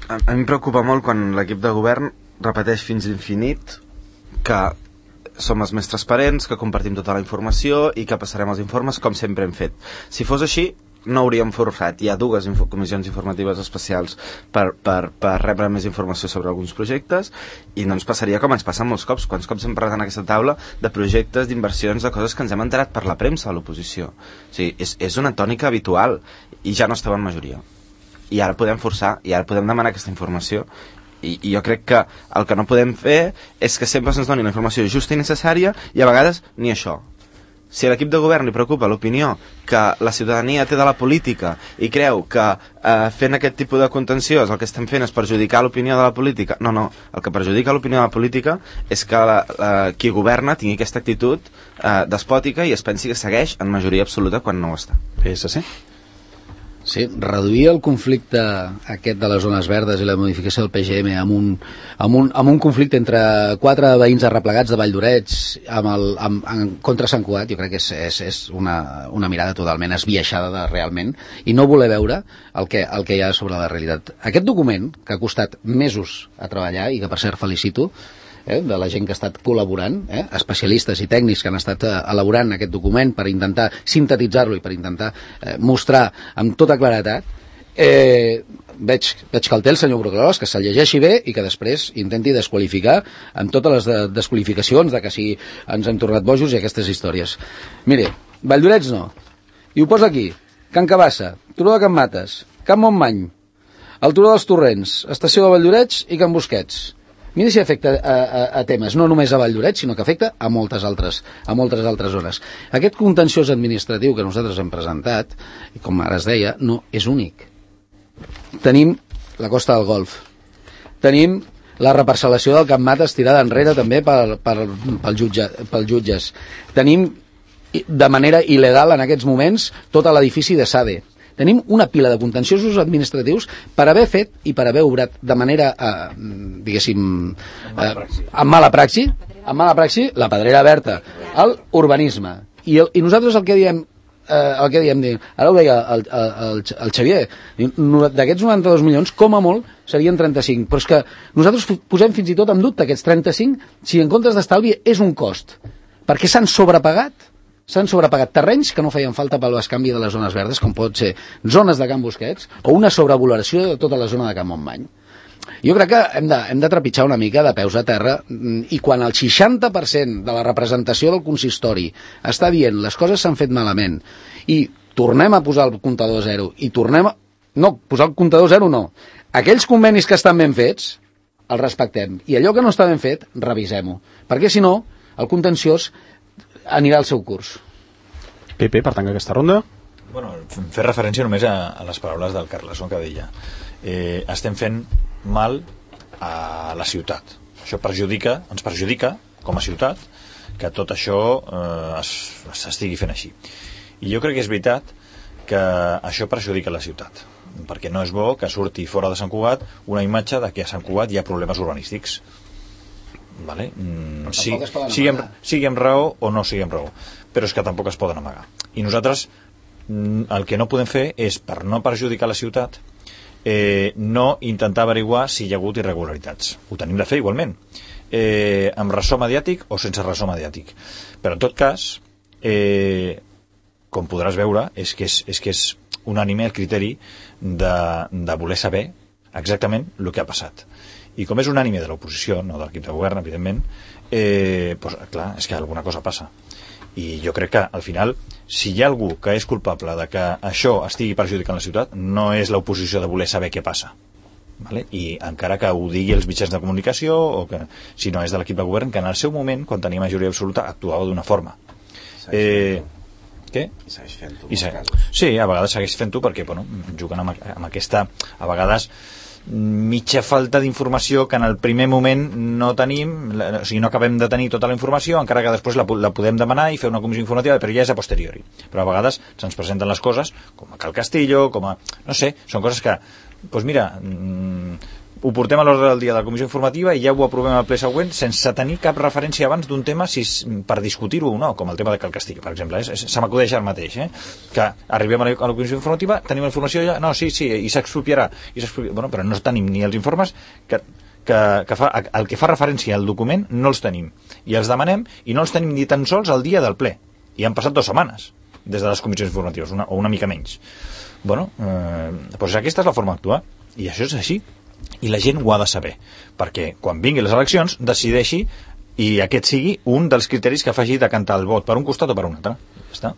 A, a mi em preocupa molt quan l'equip de govern repeteix fins l'infinit que som els més transparents, que compartim tota la informació i que passarem els informes com sempre hem fet. Si fos així, no hauríem forçat. Hi ha dues info comissions informatives especials per, per, per rebre més informació sobre alguns projectes, i no ens passaria com ens passa molts cops. Quants cops hem parlat en aquesta taula de projectes, d'inversions, de coses que ens hem enterat per la premsa a l'oposició. O sigui, és, és una tònica habitual, i ja no esteu en majoria. I ara podem forçar, i ara podem demanar aquesta informació, i, i jo crec que el que no podem fer és que sempre se'ns doni la informació justa i necessària, i a vegades ni això. Si a l'equip de govern li preocupa l'opinió que la ciutadania té de la política i creu que eh, fent aquest tipus de contenciós el que estem fent és perjudicar l'opinió de la política, no, no, el que perjudica l'opinió de la política és que la, la, qui governa tingui aquesta actitud eh, despòtica i es pensi que segueix en majoria absoluta quan no ho està. P S C? Sí, reduir el conflicte aquest de les zones verdes i la modificació del P G M amb un, amb un, amb un conflicte entre quatre veïns arreplegats de Valldoreix amb el, amb, amb, contra Sant Cugat, jo crec que és, és, és una, una mirada totalment esbiaixada de, realment, i no voler veure el que, el que hi ha sobre la realitat. Aquest document, que ha costat mesos a treballar i que per cert felicito, Eh, de la gent que ha estat col·laborant, eh, especialistes i tècnics que han estat eh, elaborant aquest document per intentar sintetitzar-lo i per intentar eh, mostrar amb tota claredat, eh, veig, veig que el té el senyor Bruggerós, que se'l llegeixi bé i que després intenti desqualificar amb totes les de, desqualificacions de que si ens hem tornat bojos i aquestes històries. Mire, Valldoreix no, i ho posa aquí: Can Cabassa, Turó de Can Mates, Can Montmany, el Turó dels Torrents, Estació de Valldoreix i Can Busquets. Mira si afecta a, a, a temes, no només a Valldoreix, sinó que afecta a moltes altres, a moltes altres zones. Aquest contenciós administratiu que nosaltres hem presentat, com ara es deia, no és únic. Tenim la Costa del Golf, tenim la reparcel·lació del Can Mates tirada enrere també per, per, pel jutge, pels jutges. Tenim de manera il·legal en aquests moments tot l'edifici de Sade. Tenim una pila de contenciosos administratius per haver fet i per haver obrat de manera, eh, diguéssim, eh, amb mala praxi, amb mala praxi, la pedrera Berta, el urbanisme. I, el, i nosaltres el que diem, eh, el que diem, ara ho deia el, el, el Xavier, d'aquests noranta-dos milions, com a molt, serien trenta-cinc, però és que nosaltres posem fins i tot en dubte aquests trenta-cinc, si en comptes d'estalvi és un cost, perquè s'han sobrepagat, s'han sobrepagat terrenys que no feien falta pel bescanvi de les zones verdes, com pot ser zones de Can Busquets o una sobrevaloració de tota la zona de Can Montmany. Jo crec que hem de, hem de trepitjar una mica de peus a terra, i quan el seixanta per cent de la representació del consistori està dient les coses s'han fet malament i tornem a posar el comptador zero i tornem a... No, posar el comptador zero no. Aquells convenis que estan ben fets els respectem, i allò que no està ben fet revisem-ho, perquè si no el contenciós anirà al seu curs. P P, per tancar aquesta ronda. Bueno, fer referència només a, a les paraules del Carleson que deia. Eh, estem fent mal a la ciutat. Això perjudica, ens perjudica com a ciutat que tot això eh, s'estigui fent així. I jo crec que és veritat que això perjudica la ciutat, perquè no és bo que surti fora de Sant Cugat una imatge de que a Sant Cugat hi ha problemes urbanístics. Vale? Mm, sí, sigui, amb, sigui amb raó o no sigui amb raó, però és que tampoc es poden amagar. I nosaltres mm, el que no podem fer és, per no perjudicar la ciutat, eh, no intentar averiguar si hi ha hagut irregularitats. Ho tenim de fer igualment, eh, amb ressò mediàtic o sense ressò mediàtic. Però en tot cas, eh, com podràs veure, és que és, és, que és unànime el criteri de, de voler saber exactament el que ha passat. I com és unànime de l'oposició, no de l'equip de govern, evidentment, eh, doncs, clar, és que alguna cosa passa. I jo crec que, al final, si hi ha algú que és culpable de que això estigui perjudicant la ciutat, no és l'oposició de voler saber què passa. Vale? I encara que ho digui els mitjans de comunicació, o que, si no és de l'equip de govern, que en el seu moment, quan tenia majoria absoluta, actuava d'una forma. Eh, Què? I segueix fent-ho. I se... Sí, a vegades segueix fent-ho perquè bueno, juguen amb, amb aquesta, a vegades, mitja falta d'informació que en el primer moment no tenim, o sigui, no acabem de tenir tota la informació, encara que després la, la podem demanar i fer una comissió informativa, però ja és a posteriori. Però a vegades se'ns presenten les coses com a Cal Castillo, com a... no sé, són coses que, doncs mira, mmm, ho portem a l'ordre del dia de la comissió informativa i ja ho aprovem al ple següent sense tenir cap referència abans d'un tema si, per discutir-ho o no, com el tema de Cal Castillo, per exemple. És, se m'acudeix ara mateix, eh? Que arribem a la, a la comissió informativa, tenim la informació ja, no, sí, sí, i s'expropiarà. Bueno, però no tenim ni els informes que, que, que fa, el que fa referència al document no els tenim. I els demanem i no els tenim ni tan sols el dia del ple. I han passat dues setmanes des de les comissions informatives, una, o una mica menys. Bueno, eh, doncs aquesta és la forma d'actuar. I això és així. I la gent ho ha de saber, perquè quan vinguin les eleccions decideixi i aquest sigui un dels criteris que faci decantar el vot per un costat o per un altre. Ja està.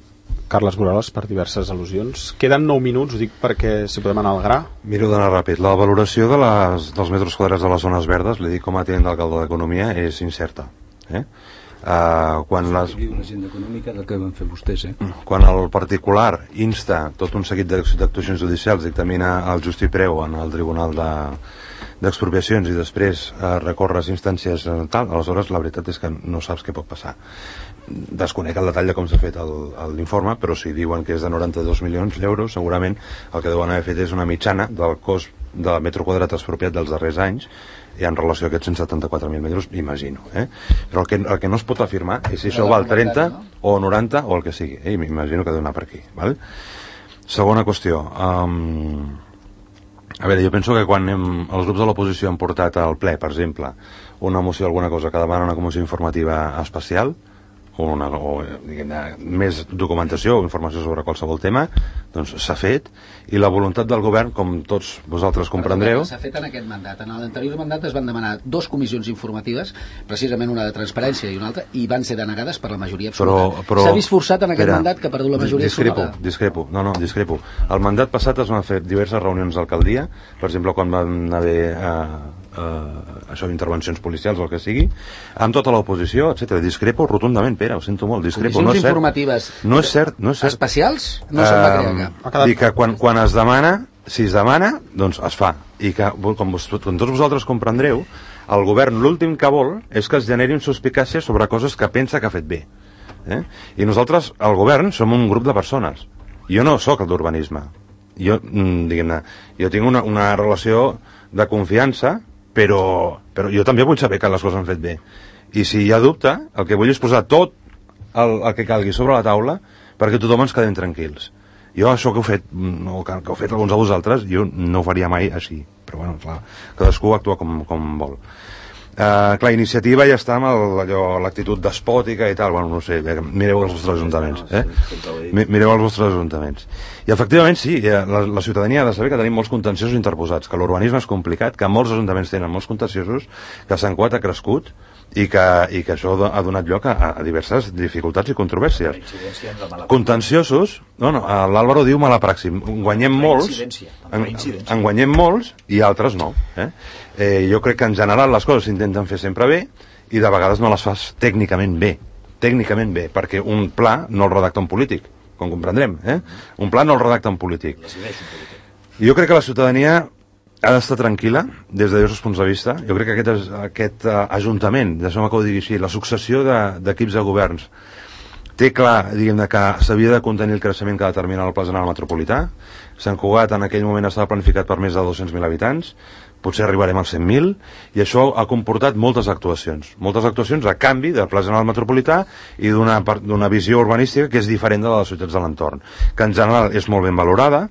Carles Morales, per diverses al·lusions. Queden nou minuts, ho dic perquè si podem anar al gra. Miro d'anar ràpid. La valoració de les, dels metres quadrats de les zones verdes, li dic com a tinent d'alcalde d'Economia, és incerta. Eh? Uh, quan les... una agenda econòmica del que van fer vostès, eh? Quan el particular insta tot un seguit d'actuacions judicials, dictamina el justi preu en el Tribunal de d'expropiacions i després eh, recorre les instàncies tal, aleshores la veritat és que no saps què pot passar. Desconec el detall de com s'ha fet l'informe, però si diuen que és de noranta-dos milions d'euros, segurament el que deuen haver fet és una mitjana del cost del metro quadrat expropiat dels darrers anys i en relació a aquests cent setanta-quatre mil metres, imagino. Eh? Però el que, el que no es pot afirmar és si això val trenta o noranta o el que sigui. Eh? M'imagino que deu anar per aquí. Val? Segona qüestió. Um, a veure, jo penso que quan hem, els grups de l'oposició han portat al ple, per exemple, una moció o alguna cosa que demana una comissió informativa especial, o, una, o diguem-ne, més documentació o informació sobre qualsevol tema, doncs s'ha fet, i la voluntat del govern, com tots vosaltres comprendreu... S'ha fet en aquest mandat. En l'anterior mandat es van demanar dos comissions informatives, precisament una de transparència i una altra, i van ser denegades per la majoria absoluta. S'ha vist forçat en aquest espera, mandat que ha perdut la majoria discrepo, absoluta. Discrepo, no, no, discrepo. El mandat passat es van fer diverses reunions d'alcaldia, per exemple, quan van haver... Eh, Uh, això d'intervencions policials o el que sigui, amb tota l'oposició, etcètera. Discrepo rotundament, Pere, ho sento molt, discrepo. Comissions no és informatives cert. No és cert, no és cert. Especials? No se'n va crear cap. Uh, dic que quan, quan es demana, si es demana, doncs es fa. I que, com, vos, com tots vosaltres comprendreu, el govern l'últim que vol és que es generin suspicàcies sobre coses que pensa que ha fet bé. Eh? I nosaltres, el govern, som un grup de persones. Jo no sóc el d'urbanisme. Jo, diguem-ne, jo tinc una, una relació de confiança, però, però jo també vull saber que les coses han fet bé. I si hi ha dubte, el que vull és posar tot el, el que calgui sobre la taula perquè tothom ens quedem tranquils. Jo això que heu fet, o que, que heu fet alguns de vosaltres, jo no ho faria mai així. Però bueno, clar, cadascú actua com, com vol. Uh, clar, iniciativa ja està amb l'actitud despòtica i tal, bueno, no sé, mireu els vostres ajuntaments, eh? Mireu els vostres ajuntaments. I efectivament sí, la, la ciutadania ha de saber que tenim molts contenciosos interposats, que l'urbanisme és complicat, que molts ajuntaments tenen molts contenciosos, que Sant Cugat ha crescut i que, i que això ha donat lloc a, a diverses dificultats i controvèrsies. Contenciosos, no, no, l'Àlvaro diu mala praxi, guanyem molts, en, en guanyem molts i altres no, eh? Eh, jo crec que en general les coses s'intenten fer sempre bé i de vegades no les fas tècnicament bé, tècnicament bé, perquè un pla no el redacta un polític, com comprendrem, eh? Un pla no el redacta un polític. Jo crec que la ciutadania ha d'estar tranquil·la des de diversos punts de vista. Jo crec que aquest, aquest uh, ajuntament, deixeu-me que ho digui així, la successió d'equips de, de governs té clar, diguem-ne, que s'havia de contenir el creixement que determina el Pla General Metropolità. Sant Cugat en aquell moment estava planificat per més de dos-cents mil habitants, potser arribarem als cent mil, i això ha comportat moltes actuacions. Moltes actuacions a canvi del Pla General Metropolità i d'una visió urbanística que és diferent de la de les ciutats de l'entorn, que en general és molt ben valorada,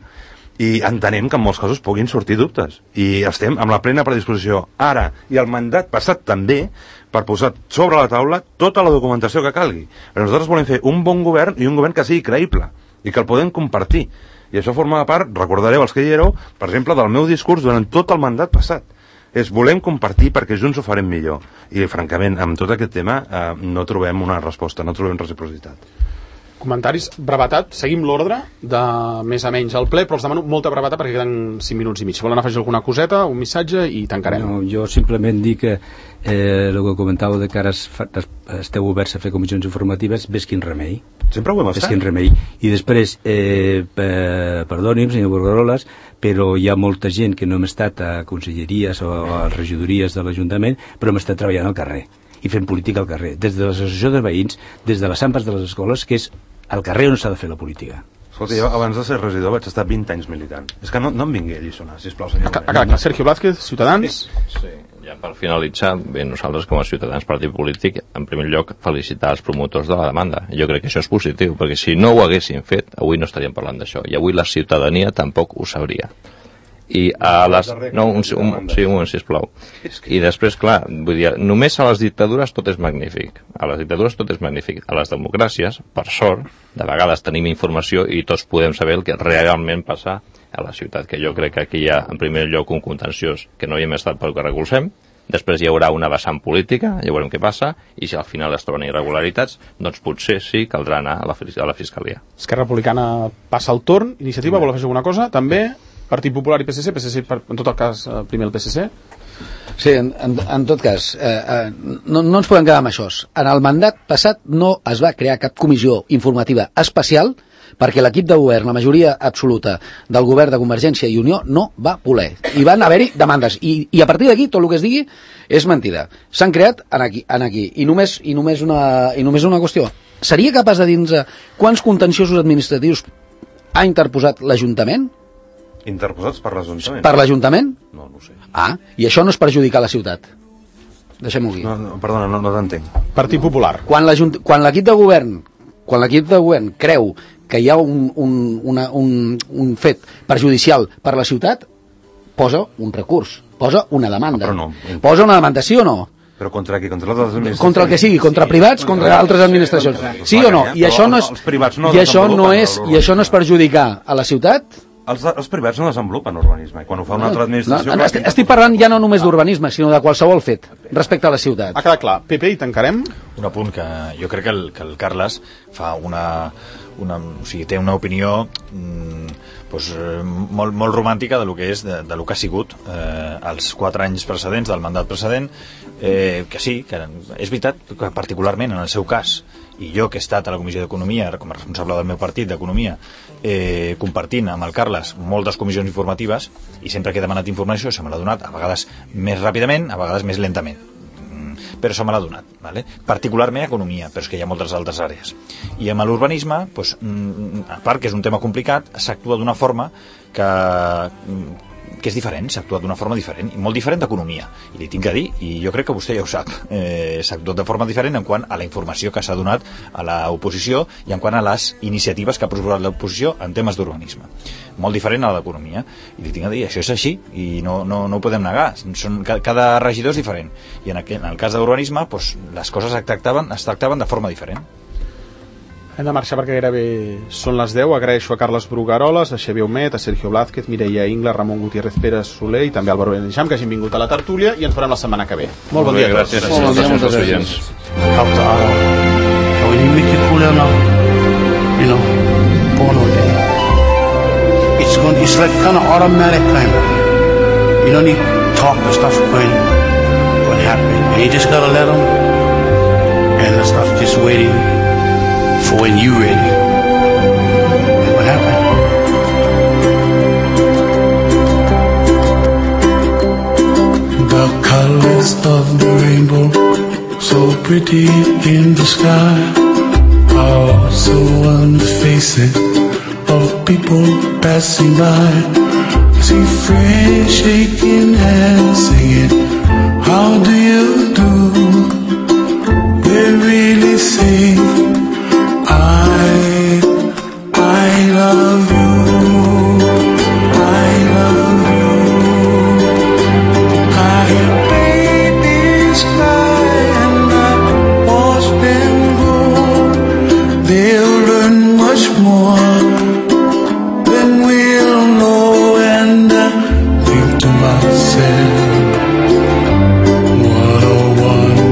i entenem que en molts casos puguin sortir dubtes. I estem amb la plena predisposició ara, i el mandat passat també, per posar sobre la taula tota la documentació que calgui. Però nosaltres volem fer un bon govern i un govern que sigui creïble i que el podem compartir. I això forma part, recordareu els que hi éreu, per exemple, del meu discurs durant tot el mandat passat. És volem compartir perquè junts ho farem millor. I, francament, amb tot aquest tema eh, no trobem una resposta, no trobem reciprocitat. Comentaris, brevetat, seguim l'ordre de més a menys al ple, però els demano molta brevetat perquè queden cinc minuts i mig. Volen afegir alguna coseta, un missatge i tancarem? No, jo simplement dic que eh, el que comentàveu de que ara es fa, esteu oberts a fer comissions informatives, ves quin remei. Sempre ho hem és estat. que en remei. I després, eh, per, perdoni'm, senyor Borgaroles, però hi ha molta gent que no hem estat a conselleries o a regidories de l'Ajuntament, però hem estat treballant al carrer i fent política al carrer, des de l'associació de veïns, des de les ampes de les escoles, que és al carrer on s'ha de fer la política. Escolta, jo abans de ser regidor vaig estar vint anys militant. És que no, no em vingui a lliçonar, sisplau, senyor. Ah, clar, clar. Sergio Blázquez, Ciutadans. Sí, ja per finalitzar, bé, nosaltres com a Ciutadans Partit Polític, en primer lloc, felicitar els promotors de la demanda. Jo crec que això és positiu, perquè si no ho haguessin fet, avui no estaríem parlant d'això, i avui la ciutadania tampoc ho sabria. I a les... No, un, un, sí, un moment, sisplau. I després, clar, vull dir, només a les dictadures tot és magnífic. A les dictadures tot és magnífic. A les democràcies, per sort, de vegades tenim informació i tots podem saber el que realment passa a la ciutat, que jo crec que aquí hi ha, en primer lloc, un contenciós que no hi hem estat pel que recolzem. Després hi haurà una vessant política, ja veurem què passa, i si al final es troben irregularitats, doncs potser sí caldrà anar a la, a la Fiscalia. Esquerra Republicana passa el torn. Iniciativa, vol afegir alguna cosa? També Partit Popular i P S C, P S C en tot el cas primer el P S C. Sí, en, en, en tot cas, eh, eh, no, no ens podem quedar amb això. En el mandat passat no es va crear cap comissió informativa especial perquè l'equip de govern, la majoria absoluta del govern de Convergència i Unió, no va voler. I van haver-hi demandes. I, i a partir d'aquí, tot el que es digui és mentida. S'han creat en aquí. En aquí. I, només, i, només una, I només una qüestió. Seria capaç de dir-nos quants contenciosos administratius ha interposat l'Ajuntament? Interposats per l'Ajuntament? Per l'Ajuntament? No, no ho sé. Ah, i això no és perjudicar la ciutat. Deixem-ho aquí. No, no, perdona, no, no t'entenc. Partit Popular. Quan l'equip de govern quan l'equip de govern creu que hi ha un, un, una, un, un fet perjudicial per la ciutat, posa un recurs, posa una demanda. No, posa una demanda, sí o no? Però contra qui? Contra les administracions? Contra el que sigui, contra privats, contra altres administracions. Sí o no? I això no és, i això no és, i això no és perjudicar a la ciutat? Els, els privats no desenvolupen urbanisme, i quan ho fa una altra administració... No, no, estic, estic parlant ja no només d'urbanisme, sinó de qualsevol fet respecte a la ciutat. Ha quedat clar. P P, i tancarem? Un apunt que jo crec que el, que el Carles fa una, una... O sigui, té una opinió mmm, pues, molt, molt romàntica de lo que és, de, de lo que ha sigut eh, els quatre anys precedents, del mandat precedent, eh, que sí, que és veritat que particularment en el seu cas, i jo que he estat a la Comissió d'Economia com a responsable del meu partit d'Economia, eh, compartint amb el Carles moltes comissions informatives, i sempre que he demanat informació se me l'ha donat, a vegades més ràpidament, a vegades més lentament, però se me l'ha donat, ¿vale? Particularment Economia, però és que hi ha moltes altres àrees. I amb l'urbanisme, pues, a part que és un tema complicat, s'actua d'una forma que... que és diferent, s'actua d'una forma diferent i molt diferent d'economia, i li tinc a dir i jo crec que vostè ja ho sap, eh, s'actua de forma diferent en quant a la informació que s'ha donat a l'oposició i en quant a les iniciatives que ha proposat l'oposició en temes d'urbanisme, molt diferent a la d'economia, i li tinc a dir, això és així i no, no, no ho podem negar. Són, cada regidor és diferent, i en, aquel, en el cas d'urbanisme pues, les coses es tractaven, es tractaven de forma diferent. Hem de marxar perquè gairebé són les deu. Agraeixo a Carles Brugaroles, a Xavier Humet, a Sergio Blázquez, Mireia Ingla, Ramon Gutiérrez Pérez Soler i també al Álvaro Beneixam, que hagin vingut a la tertúlia, i ens farem la setmana que ve. Molt bon dia a tots. Gràcies. Molt bon dia, moltes gràcies. When you make it cool now, you know, born all day. It's going, it's like kind of automatic kind of. You don't need to talk and stuff going, what happened. And you just gotta let them, and the stuff just waiting for when you ready. What happened? The colors of the rainbow, so pretty in the sky, are also on the faces of people passing by. See friends shaking hands, singing, how do you do? They really say, I, I love you, I love you. I hear babies cry and I watch them grow. They'll learn much more than we'll know, and I think to myself, what a wonderful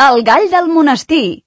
El gall del monestir.